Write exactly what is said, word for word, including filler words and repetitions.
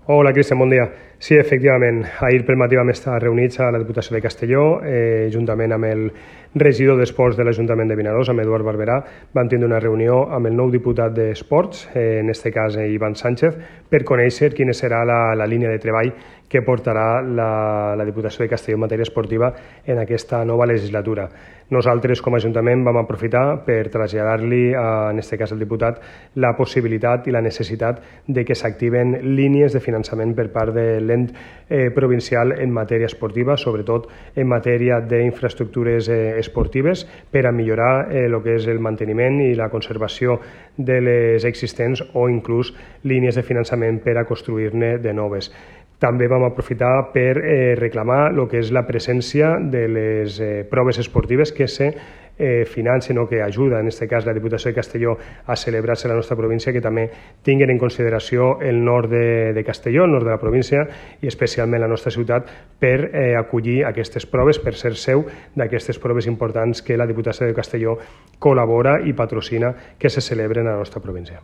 Hola, Cristian, bon dia. Sí, efectivament, ahir pel matí vam estar reunits a la Diputació de Castelló, eh, juntament amb el regidor d'Esports de l'Ajuntament de Vinaròs, amb Eduard Barberà. Vam tindre una reunió amb el nou diputat d'Esports, eh, en aquest cas eh, Ivan Sánchez, per conèixer quina serà la, la línia de treball que portarà la, la Diputació de Castelló en matèria esportiva en aquesta nova legislatura. Nosaltres, com a Ajuntament, vam aprofitar per traslladar-li, en aquest cas al diputat, la possibilitat i la necessitat de que s'activen línies de finançament per part de l'ent eh, provincial en matèria esportiva, sobretot en matèria d'infraestructures eh, esportives, per a millorar eh, el que és el manteniment i la conservació de les existents o inclús línies de finançament per a construir-ne de noves. També vam aprofitar per eh, reclamar el que és la presència de les eh, proves esportives que se eh, financen o que ajuda, en aquest cas la Diputació de Castelló, a celebrar-se a la nostra província, que també tinguin en consideració el nord de, de Castelló, el nord de la província i especialment la nostra ciutat, per eh, acollir aquestes proves, per ser seu d'aquestes proves importants que la Diputació de Castelló col·labora i patrocina que se celebren a la nostra província.